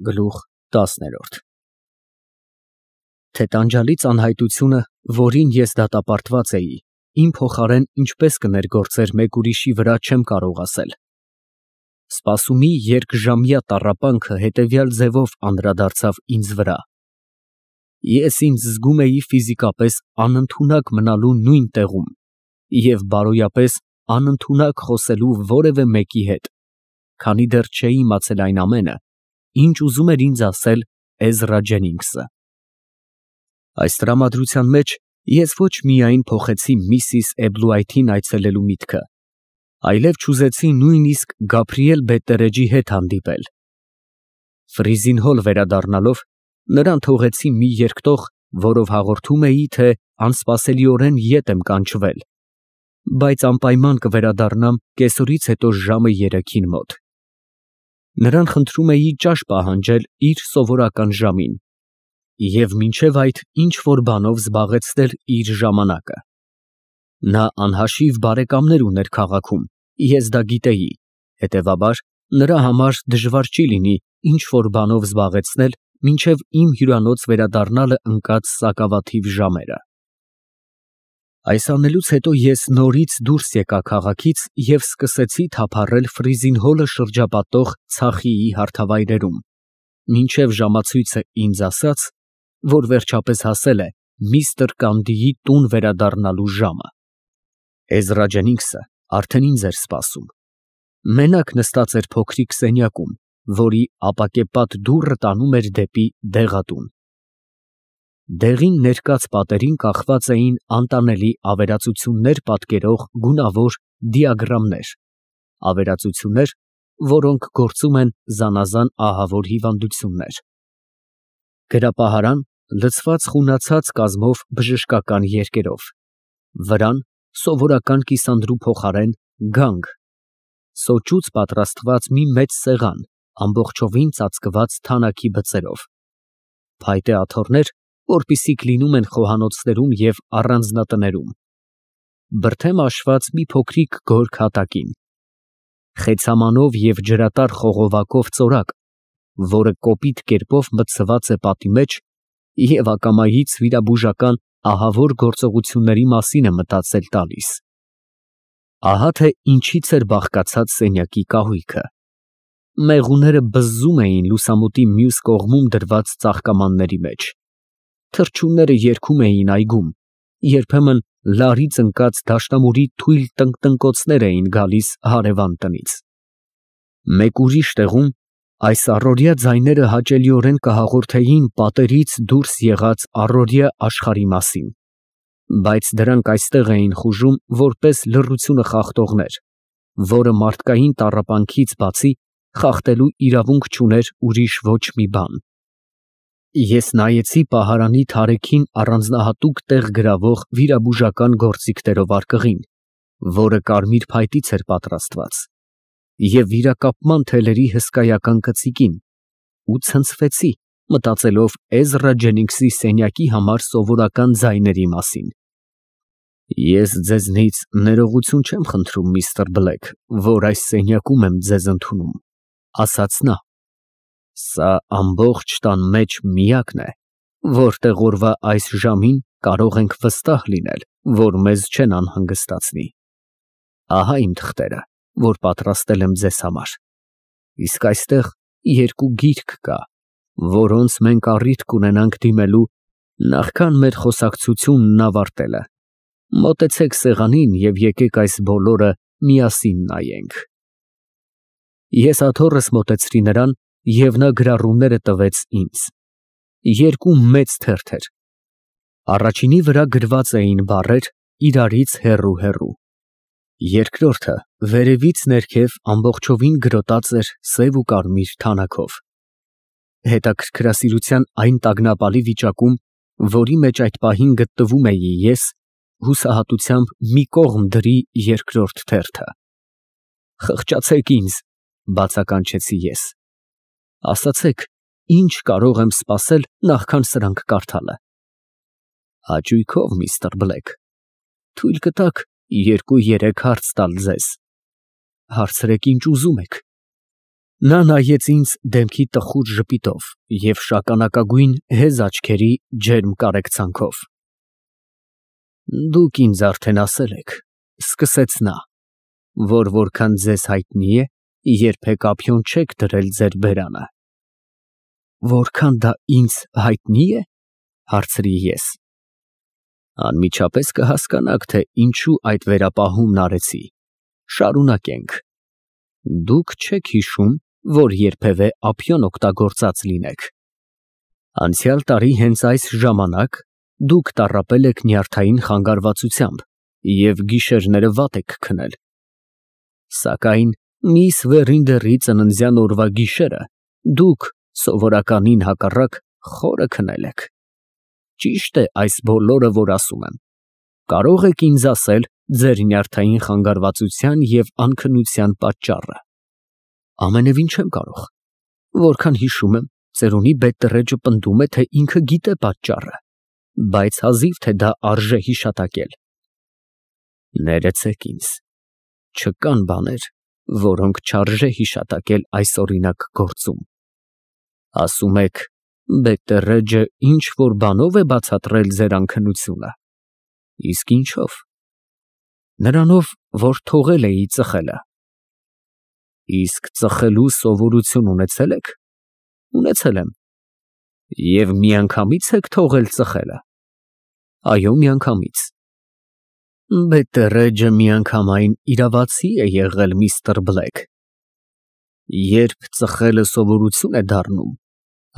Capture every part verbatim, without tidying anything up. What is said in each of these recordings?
Գլուխ տասներորդ Թե տանջալից անհայտությունը, որին ես դատապարտված էի, իմ փոխարեն ինչպես կներգործեր մեկ ուրիշի վրա, չեմ կարող ասել։ Սպասումի երկժամյա տառապանքը հետևյալ ձևով անդրադարձավ ինձ վրա. Ես ինձ զգում էի ֆիզիկապես անընդունակ մնալու նույն տեղում և բարոյապես անընդունակ խոսելու որևէ մեկի հետ, քանի դեռ չէի իմացել այն ամենը, ինչ ուզում էր ինձ ասել Էզրա Ջենինգսը։ Այս տրամադրության մեջ ես ոչ միայն փոխեցի միսիս Էբլուայթին այցելելու միտքը, այլև չուզեցի նույնիսկ Գաբրիել Բետտերեջի հետ հանդիպել։ Ֆրիզին Հոլ վերադառնալով, նրան թողեցի մի երկտող, որով հաղորդում էի, թե անսպասելիորեն ետ եմ կանչվել, բայց անպայման կվերադառնամ կեսօրից հետո ժամը երեքին մոտ։ Նրան խնդրում էի ճաշ պահանջել իր սովորական ժամին և մինչև այդ ինչ֊որ բանով զբաղեցնել իր ժամանակը։ Նա անհաշիվ բարեկամներ ուներ քաղաքում, ես դա գիտեի, հետևաբար նրա համար դժվար չի լինի ինչ֊որ բանով զբաղեցնել մինչև իմ հյուրանոց վերադառնալը ընկած սակավաթիվ ժամերը։ Այս անելուց հետո ես նորից դուրս եկա քաղաքից և սկսեցի թափառել Ֆրիզին Հոլը շրջապատող ցախիի հարթավայրերում, մինչև ժամացույցը ինձ ասաց, որ վերջապես հասել է միստր Կանդիի տուն վերադառնալու ժամը։ Էզրա Ջենինգսը արդեն ինձ էր սպասում։ Մենակ նստած էր փոքրիկ սենյակում, որի ապակեպատ դուռը տանում էր դեպի դեղատուն։ Դեղին ներկած պատերին կախված էին անտանելի ավերածություններ պատկերող գունավոր դիագրամներ, ավերածություններ, որոնք գործում են զանազան ահավոր հիվանդություններ։ Գրապահարան, լցված խունացած կազմով բժշկական երկերով, վրան սովորական կիսանդրու փոխարեն գանգ, սոճուց պատրաստված մի մեծ սեղան, ամբողջովին ծածկված թանաքի բծերով, փայտե աթոռներ, որպիսիք լինում են խոհանոցներում և առանձնատներում, բրդե մաշված մի փոքրիկ գորգ հատակին, խեցամանով և ջրատար խողովակով ծորակ, որը կոպիտ կերպով մտցված է պատի մեջ և ակամայից վիրաբուժական ահավոր գործողությունների մասին է մտածել տալիս։ Ահա թե ինչից էր բաղկացած սենյակի կահույքը։ Մեղուները բզզում էին լուսամուտի մյուս կողմում դրված ծաղկամանների մեջ, թռչունները երգում էին այգում, երբեմն լարից ընկած դաշնամուրի թույլ տնկտնկոցներ էին գալիս հարևան տնից։ Մեկ ուրիշ տեղում այս առօրյա ձայները հաճելիորեն կհաղորդեին պատերից դուրս եկած առօրյա աշխարհի մասին, բայց դրանք այստեղ էին խուժում որպես լռությունը խախտողներ, որը մարդկային տառապանքից բացի խախտելու իրավունք չուներ ուրիշ ոչ մի բան։ Ես նայեցի պահարանի թարեքին առանձնահատուկ տեղ գրավող վիրաբուժական գործիքներով արկղին, որը կարմիր փայտից էր պատրաստված, և վիրակապման թելերի հսկայական կծիկին ու ցնցվեցի, մտածելով Էզրա Ջենինգսի սենյակի համար սովորական ձայների մասին։ Ես ձեզնից ներողություն չեմ խնդրում, միստր Բլեք, որ այս սենյակում եմ ձեզ ընդունում, ասաց նա։ Սա ամբողջ տան մեջ միակն է, որտեղ օրվա այս ժամին կարող ենք վստահ լինել, որ մեզ չեն անհանգստացնի։ Ահա իմ թղթերը, որ պատրաստել եմ ձեզ համար, իսկ այստեղ երկու գիրք կա, որոնց մենք առիթ կունենանք դիմելու, նախքան մեր խոսակցությունն ավարտելը։ Մոտեցեք սեղանին և եկեք այս բոլորը միասին նայենք։ Ես աթոռս մոտեցրի նրան, և նա գրառումները տվեց ինձ։ Երկու մեծ թերթեր։ Առաջինի վրա գրված էին բառեր իրարից հեռու֊հեռու։ Երկրորդը վերևից ներքև ամբողջովին գրոտած էր սև ու կարմիր թանաքով։ Հետաքրքրասիրության այն տագնապալի վիճակում, որի մեջ այդ պահին գտնվում էի ես, հուսահատությամբ մի կողմ դրի երկրորդ թերթը։ Խղճացեք ինձ, բացականչեցի ես։ Ասացեք, ինչ կարող եմ սպասել նախքան սրանք կարդալը։ Հաճույքով, միստր Բլեք, թույլ կտաք երկու երեք հարց տալ ձեզ։ Հարցրեք, ինչ ուզում եք։ Նա նայեց ինձ դեմքի տխուր ժպիտով և շագանակագույն հեզ աչքերի ջերմ կարեկցանքով։ Դուք ինձ արդեն ասել եք, ֊ սկսեց նա, ֊ որ որքան ձեզ հայտնի է, երբեք ափիոն չեք դրել ձեր բերանը։ Որքան դա ինձ հայտնի է, ֊ հարցրի ես։ Անմիջապես կհասկանաք, թե ինչու այդ վերապահումն արեցի։ Շարունակենք։ Դուք չեք հիշում, որ երբևէ ափիոն օգտագործած լինեք։ Անցյալ տարի հենց այս ժամանակ դուք տառապել եք նյարդային խանգարվածությամբ և գիշերները վատ եք քնել։ Սակայն միս Վերինդերի ծննդյան օրվա գիշերը դուք սովորականին հակառակ խորը քնել եք։ Ճի՞շտ է այս բոլորը, որ ասում եմ։ Կարո՞ղ եք ինձ ասել ձեր նյարդային խանգարվածության և անքնության պատճառը։ Ամենևին չեմ կարող։ Որքան հիշում եմ, ծերունի բետտռեջը պնդում է, թե ինքը գիտե պատճառը, բայց հազիվ թե դա արժե հիշատակել։ Ներեցեք ինձ, չկան բաներ, որոնք չարժե հիշատակել այսօրինակ գործում։ Ասում եք, բետտռեջը ինչ֊որ բանով է բացատրել ձեր անքնությունը։ Իսկ ինչով։ Նրանով, որ թողել էի ծխելը։ Իսկ ծխելու սովորություն ունեցե՞լ եք։ Ունեցել եմ։ Եվ միանգամի՞ց եք թողել ծխելը։ Այո, միանգամից։ Բետտռեջը միանգամայն իրավացի է եղել, միստր Բլեք։ Երբ ծխելը սովորություն է դառնում,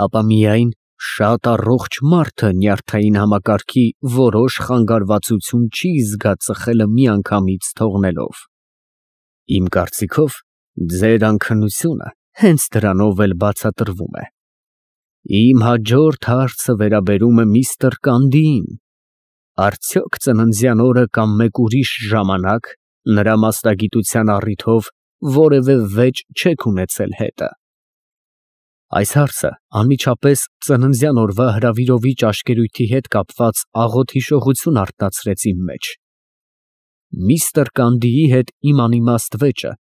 ապա միայն շատ առողջ մարդը նյարդային համակարգի որոշ խանգարվածություն չի զգա ծխելը միանգամից թողնելով։ Իմ կարծիքով, ձեր անքնությունը հենց դրանով էլ բացատրվում է։ Իմ հաջորդ հարցը վերաբերում է միստր Կանդիին։ Արդյոք ծննդյան օրը կամ մեկ ուրիշ ժամանակ նրա մասնագիտության առիթով որևէ վեճ չեք ունեցել հետը։ Այս հարցը անմիջապես ծննդյան օրվա հրավիրովի ճաշկերույթի հետ կապված աղոտ հիշողություն արթնացրեց իմ մեջ։ Միստր Կանդիի հետ իմ անիմաստ վեճը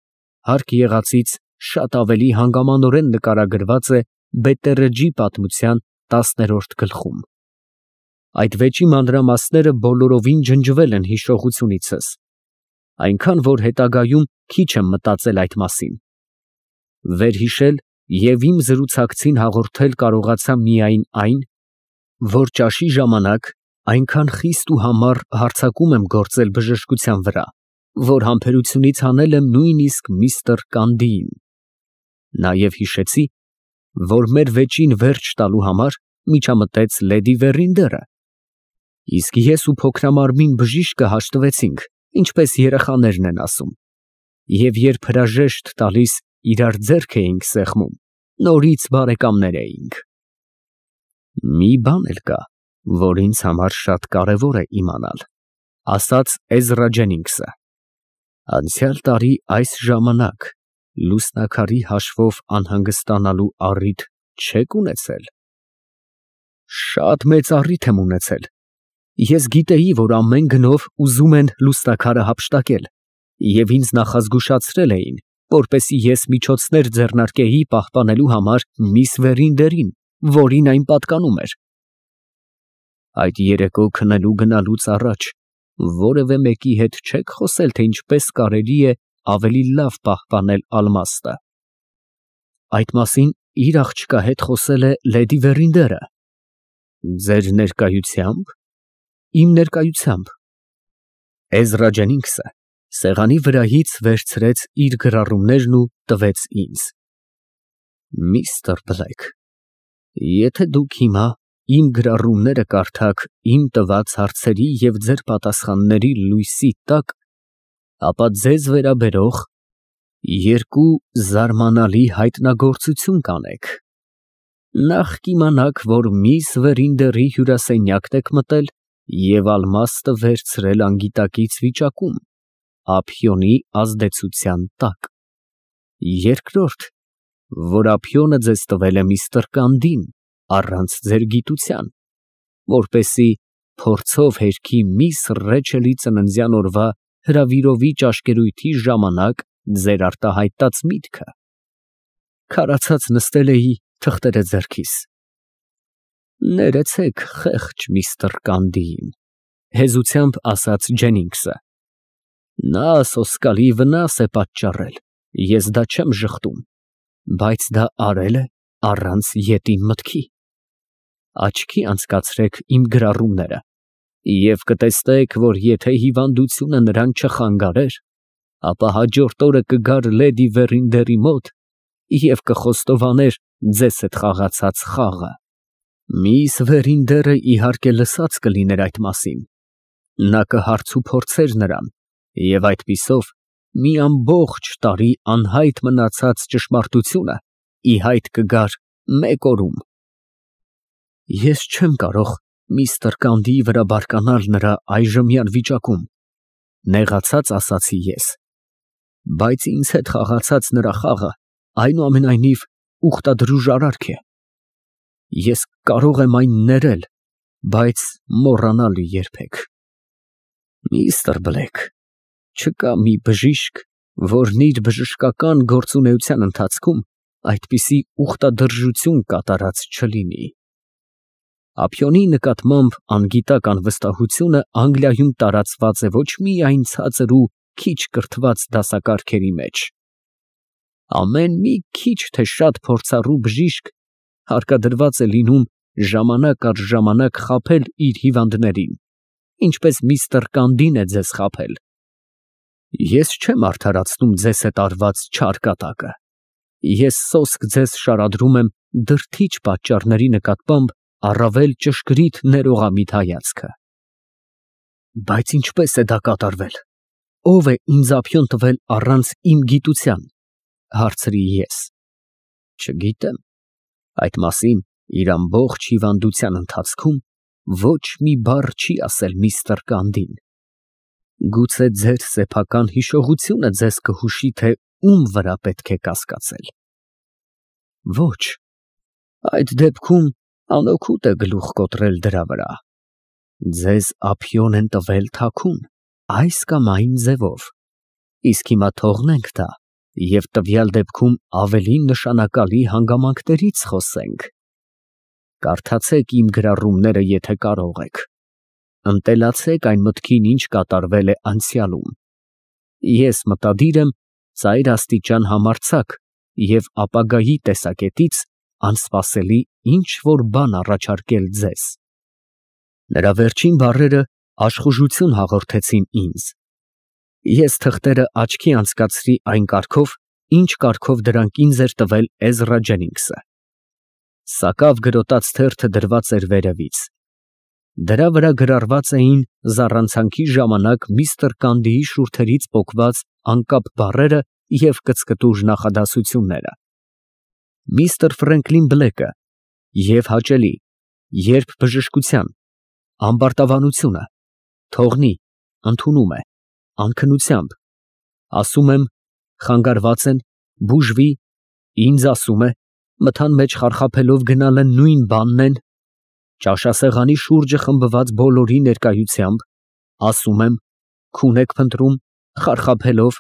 հարկ եղածից շատ ավելի հանգամանորեն նկարագրված է Բետտռեջի պատմության տասներորդ գլխում։ Այդ վեճի մանրամասները բոլորովին ջնջվել են հիշողությունիցս, այնքան, որ հետագայում քիչ եմ մտածել այդ մասին։ Վերհիշել և իմ զրուցակցին հաղորդել կարողացա միայն այն, որ ճաշի ժամանակ այնքան խիստ ու համառ հարձակում եմ գործել բժշկության վրա, որ համբերությունից հանել եմ նույնիսկ միստր Կանդիին։ Նաև հիշեցի, որ մեր վեճին վերջ տալու համար միջամտեց լեդի Վերինդերը, իսկ ես ու փոքրամարմին բժիշկը հաշտվեցինք, ինչպես երեխաներն են ասում, և երբ հրաժեշտ տալիս իրար ձեռք էինք սեղմում, նորից բարեկամներ էինք։ Մի բան էլ կա, որ ինձ համար շատ կարևոր է իմանալ, ֊ ասաց Էզրա Ջենինգսը։ Անցյալ տարի այս ժամանակ լուսնակարի հաշվով անհանգստանալու առիթ չեք ունեցել։ Շատ մեծ առիթ եմ ունեցել։ Ես գիտեի, որ ամեն գնով ուզում են լուսնակարը հափշտակել, և ինձ նախազգուշացրել էին, որպեսզի ես միջոցներ ձեռնարկեի պահպանելու համար միս Վերինդերին, որին այն պատկանում էր։ Այդ երեկո քնելու գնալուց առաջ որևէ մեկի հետ չեք խոսել, թե ինչպես կարելի է ավելի լավ պահպանել ալմաստը։ Այդ մասին իր աղջկա հետ խոսել է լեդի Վերինդերը։ Ձեր ներկայությա՞մբ։ Իմ ներկայությամբ։ Էզրա Ջենինգսը սեղանի վրայից վերցրեց իր գրառումներն ու տվեց ինձ։ Միստր Բլեք, եթե դուք հիմա իմ գրառումները կարդաք իմ տված հարցերի և ձեր պատասխանների լույսի տակ, ապա ձեզ վերաբերող երկու զարմանալի հայտնագործություն կանեք։ Նախ կիմանաք, որ միս Վերինդերի հյուրասենյակն եք մտել և ալմաստը վերցրել անգիտակից վիճակում, ափիոնի ազդեցության տակ։ Երկրորդ, որ ափիոնը ձեզ տվել է միստր Կանդին առանց ձեր գիտության, որպեսզի փորձով հերքի միս Ռեչելի ծննդյան օրվա հրավիրովի ճաշկերույթի ժամանակ ձեր արտահայտած միտքը քարացած նստել էի թղթերը ձեռքիս։ Ներեցեք խեղճ միստր Կանդիին, հեզությամբ ասաց Ջենինգսը։ Նա սոսկալի վնաս է պատճառել, ես դա չեմ ժխտում, բայց դա արել է առանց ետին մտքի։ Աչքի անցկացրեք իմ գրառումները և կտեսնեք, որ եթե հիվանդությունը նրան չխանգարեր, ապա հաջորդ օրը կգար լեդի Վերինդերի մոտ և կխոստովաներ ձեզ հետ խաղացած խաղը։ Միս Վերինդերը իհարկե լսած կլիներ այդ մասին, նա կհարցուփորձեր նրան և այդպիսով մի ամբողջ տարի անհայտ մնացած ճշմարտությունը ի հայտ կգար մեկ օրում։ Ես չեմ կարող միստր Կանդիի վրա բարկանալ նրա այժմյան վիճակում, նեղացած ասացի ես, բայց ինձ հետ խաղացած նրա խաղը այնուամենայնիվ ուխտադրուժ արարք է։ Ես կարող եմ այն ներել, բայց մոռանալ երբեք։ Միստր Բլեք, չկա մի բժիշկ, որն իր բժշկական գործունեության ընթացքում այդպիսի ուխտադրժություն կատարած չլինի։ Ափիոնի նկատմամբ անգիտակ անվստահությունը Անգլիայում տարածված է ոչ միայն ցածր ու քիչ կրթված դասակարգերի մեջ։ Ամեն մի քիչ թե շատ փորձառու բժիշկ հարկադրված է լինում ժամանակ առ ժամանակ խաբել իր հիվանդներին, ինչպես միստր Կանդին է ձեզ խաբել։ Ես չեմ արդարացնում ձեզ հետ արված չար կատակը, ես սոսկ ձեզ շարադրում եմ դրդիչ պատճառների նկատմամբ առավել ճշգրիտ ներողամիտ հայացքը։ Բայց ինչպես է դա կատարվել, ով է ինձ ափիոն տվել առանց իմ գիտության, հարցրի ես։ Չգիտեմ, այդ մասին իր ամբողջ հիվանդության ընթացքում ոչ մի բառ չի ասել միստր Կանդին։ Գուցե ձեր սեփական հիշողությունը ձեզ կհուշի, թե ում վրա պետք է կասկածել։ Ոչ, այդ դեպքում անօգուտ է գլուխ կոտրել դրա վրա։ Ձեզ ափիոն են տվել թաքուն, այս կամ այն ձևով, իսկ հիմա թողնենք դա և տվյալ դեպքում ավելի նշանակալի հանգամանքներից խոսենք։ Կարդացեք իմ գրառումները, եթե կարող եք, ընտելացեք այն մտքին, ինչ կատարվել է անցյալում։ Ես մտադիր եմ ծայրաստիճան համարձակ և ապագայի տեսակետից անսպասելի ինչ֊որ բան առաջարկել ձեզ։ Նրա վերջին բառերը աշխուժություն հաղորդեցին ինձ։ Ես թղթերը աչքի անցկացրի այն կարգով, ինչ կարգով դրանք ինձ էր տվել Էզրա Ջենինգսը։ Սակավ գրոտած թերթը դրված էր վերևից։ Դրա վրա գրառված էին զառանցանքի ժամանակ միստր Կանդիի շուրթերից պոկված անկապ բառերը և կծկտուժ նախադասությունները։ Միստր Ֆրենկլին Բլեկը և հաճելի, երբ բժշկության, ամբարտավանությունը, թողնի, ընդունում է, անքնությամբ, ասում եմ, խանգարված են, բուժվի, ինձ ասում է, մթան մեջ խարխափելով գնալը նույն բանն են, ճաշասեղանի շուրջը խմբված բոլորի ներկայությամբ, ասում եմ, քուն եք փնտրում, խարխափելով,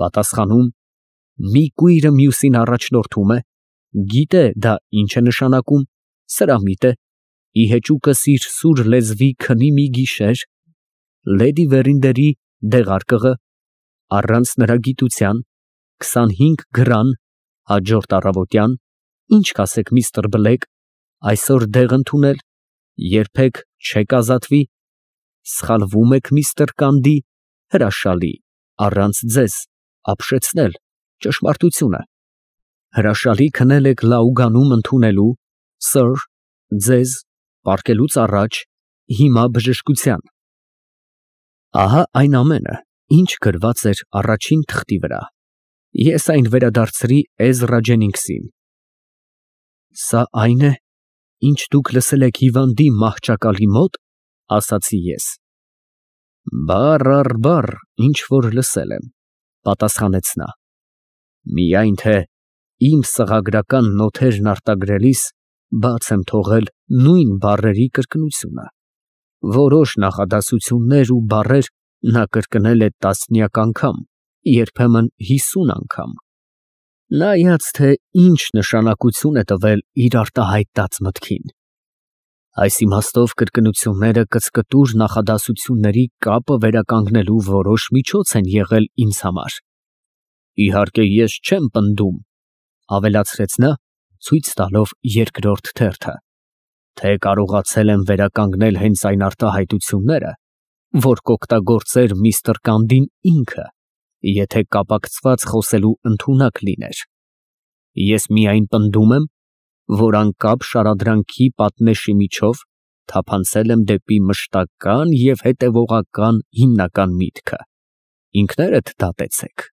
պատասխանում, մի կույրը մյուսին առաջնորդում է, գիտե դա ինչ է նշանակում, սրամիտ է, ի հեճուկս իր սուր լեզվի քնի մի գիշեր, լեդի Վերինդերի դեղարկղը, առանց նրա գիտության, քսանհինգ գրան, հաջորդ առավոտյան, ինչ կասեք միստր Բլեկ, այսօր դեղ ընդունել, երբեք չեք ազատվի, սխալվում եք միստր Կանդի, հրաշալի, առանց ձեզ, ապշեցնել, ճշմարտությունը, հրաշալի քնել եք Լաուգանում ընդունելու, սըր, ձեզ, պառկելուց առաջ, հիմա բժշկության։ Ահա այն ամենը, ինչ գրված էր առաջին թղթի վրա։ Ես այն վերադարձրի Էզրա Ջենինգսին։ Սա այն է, ինչ դուք լսել եք հիվանդի մահճակալի մոտ, ասացի ես։ Բառ առ բառ, ինչ որ լսել եմ, պատասխանեց նա։ Միայն թե իմ սղագրական նոթերն արտագրելիս բաց եմ թողել նույն բառերի կրկնությունը։ Որոշ նախադասություններ ու բառեր նա կրկնել է տասնյակ անգամ, երբեմն հիսուն անգամ։ Նայած թե ինչ նշանակություն է տվել իր արտահայտած մտքին։ Այս իմաստով կրկնությունները կծկտուր նախադասությունների կապը վերականգնելու որոշ միջոց են եղել ինձ համար։ Իհարկե ես չեմ պնդում, ավելացրեց նա, ցույց տալով երկրորդ թերթը, թե կարողացել եմ վերականգնել հենց այն արտահայտությունները, որ կօգտագործեր միստր Կանդին ինքը, եթե կապակցված խոսելու ընդունակ լիներ։ Ես միայն պնդում եմ, որ անկապ շարադրանքի պատնեշի միջով թափանցել եմ դեպի մշտական և հետևողական հիմնական միտքը, ինքներդ դատեցեք։